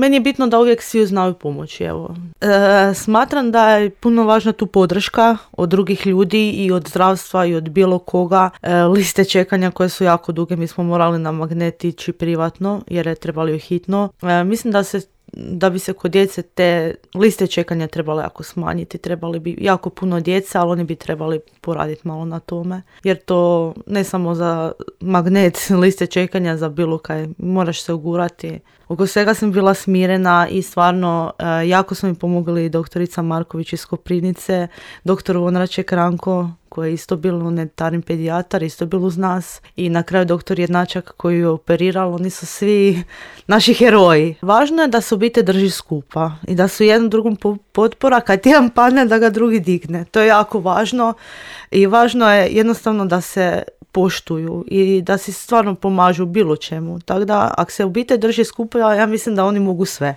meni je bitno da uvijek svi znaju pomoći. Evo. Smatram da je puno važna tu podrška od drugih ljudi i od zdravstva i od bilo koga. Liste čekanja koje su jako duge, mi smo morali na magnet ići privatno jer je trebali hitno. Mislim da bi se kod djece te liste čekanja trebale jako smanjiti, trebali bi jako puno djece, ali oni bi trebali poraditi malo na tome, jer to ne samo za magnet, liste čekanja za bilo kaj, moraš se ugurati. Oko svega sam bila smirena i stvarno jako su mi pomogli doktorica Marković iz Koprivnice, doktor Vonraček Ranko, koji je isto bil unitarni pedijatar, isto bil uz nas, i na kraju doktor Jednačak koji je operirao. Oni su svi naši heroji. Važno je da se obitelj drži skupa i da su jednom drugom potpora, kad jedan padne da ga drugi digne. To je jako važno i važno je jednostavno da se poštuju i da si stvarno pomažu bilo čemu. Tako da, ako se obitelj drži skupa, ja mislim da oni mogu sve.